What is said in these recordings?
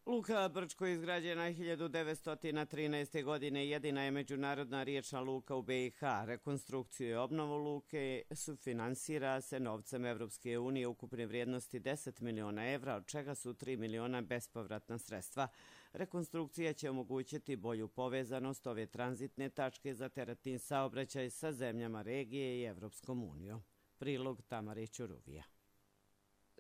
Luka Brčko je izgrađena 1913. godine, jedina je međunarodna riječna luka u BiH. Rekonstrukciju i obnovu luke sufinansira se novcem Evropske unije ukupne vrijednosti 10 miliona evra, od čega su 3 miliona bespovratna sredstva. Rekonstrukcija će omogućiti bolju povezanost ove tranzitne tačke za teretni saobraćaj sa zemljama regije i Evropskom unijom. Prilog Tamare Ćuruvija.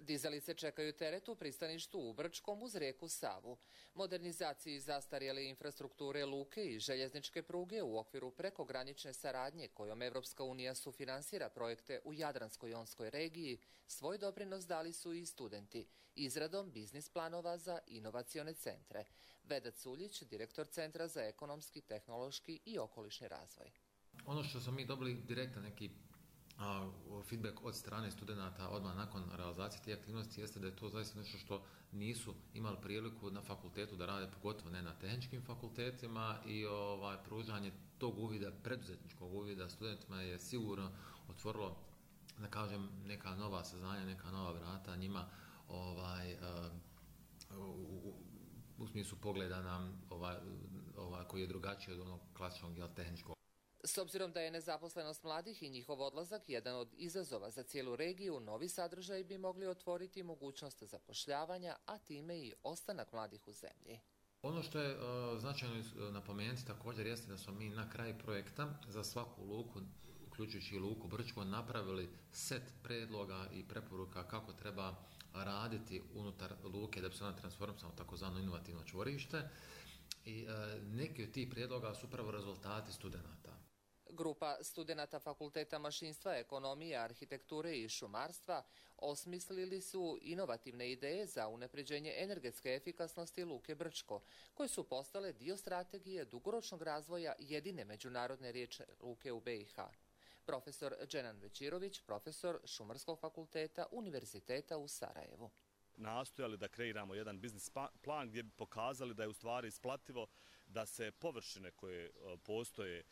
Dizalice čekaju teret u pristaništu u Brčkom uz rijeku Savu. Modernizaciji zastarjele infrastrukture luke i željezničke pruge u okviru prekogranične saradnje kojom Evropska unija sufinansira projekte u Jadransko-jonskoj regiji, svoj doprinos dali su i studenti izradom biznis planova za inovacione centre. Vedat Suljić, direktor Centra za ekonomski, tehnološki i okolišni razvoj. Ono što smo mi dobili direktan neki feedback od strane studenta odmah nakon realizacije te aktivnosti jeste da je to zaista nešto što nisu imali priliku na fakultetu da rade, pogotovo ne na tehničkim fakultetima, i pružanje tog uvida, preduzetničkog uvida studentima je sigurno otvorilo, da kažem, neka nova saznanja, neka nova vrata njima u smislu pogleda nam koji je drugačiji od onog klasičnog tehničkog. S obzirom da je nezaposlenost mladih i njihov odlazak jedan od izazova za cijelu regiju, novi sadržaj bi mogli otvoriti mogućnost zapošljavanja, a time i ostanak mladih u zemlji. Ono što je značajno napomenuti također jeste da smo mi na kraju projekta za svaku luku, uključujući i luku Brčko, napravili set predloga i preporuka kako treba raditi unutar luke da bi se ona transformisala u takozvano inovativno čvorište. I neki od tih prijedloga su upravo rezultati studenata. Grupa studenata Fakulteta mašinstva, ekonomije, arhitekture i šumarstva osmislili su inovativne ideje za unapređenje energetske efikasnosti luke Brčko, koje su postale dio strategije dugoročnog razvoja jedine međunarodne riječne luke u BiH. Profesor Dženan Većirović, profesor Šumarskog fakulteta Univerziteta u Sarajevu. Nastojali da kreiramo jedan biznis plan gdje bi pokazali da je u stvari isplativo da se površine koje postoje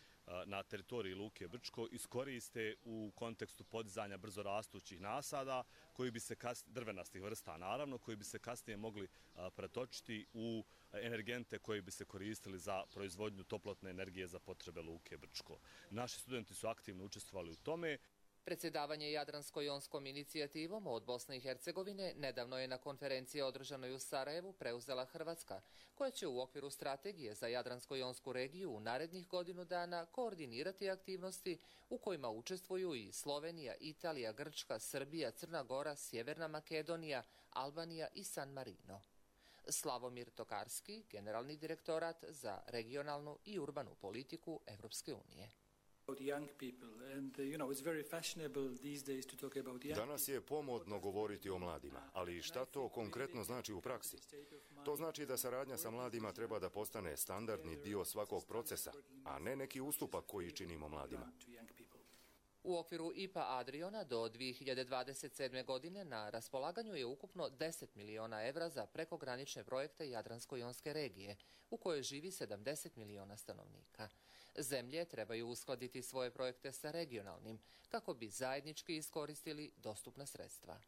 na teritoriji luke Brčko iskoriste u kontekstu podizanja brzorastućih nasada, koji bi se drvenastih vrsta naravno, koji bi se kasnije mogli pretočiti u energente koji bi se koristili za proizvodnju toplotne energije za potrebe luke Brčko. Naši studenti su aktivno učestvovali u tome. Predsjedavanje Jadransko-jonskom inicijativom od Bosne i Hercegovine nedavno je na konferenciji održanoj u Sarajevu preuzela Hrvatska, koja će u okviru strategije za Jadransko-jonsku regiju u narednih godinu dana koordinirati aktivnosti u kojima učestvuju i Slovenija, Italija, Grčka, Srbija, Crna Gora, Sjeverna Makedonija, Albanija i San Marino. Slavomir Tokarski, generalni direktorat za regionalnu i urbanu politiku Evropske unije. Danas je pomodno govoriti o mladima, ali šta to konkretno znači u praksi? To znači da saradnja sa mladima treba da postane standardni dio svakog procesa, a ne neki ustupak koji činimo mladima. U okviru IPA Adriona do 2027. godine na raspolaganju je ukupno 10 miliona evra za prekogranične projekte Jadransko-jonske regije, u kojoj živi 70 miliona stanovnika. Zemlje trebaju uskladiti svoje projekte sa regionalnim, kako bi zajednički iskoristili dostupna sredstva.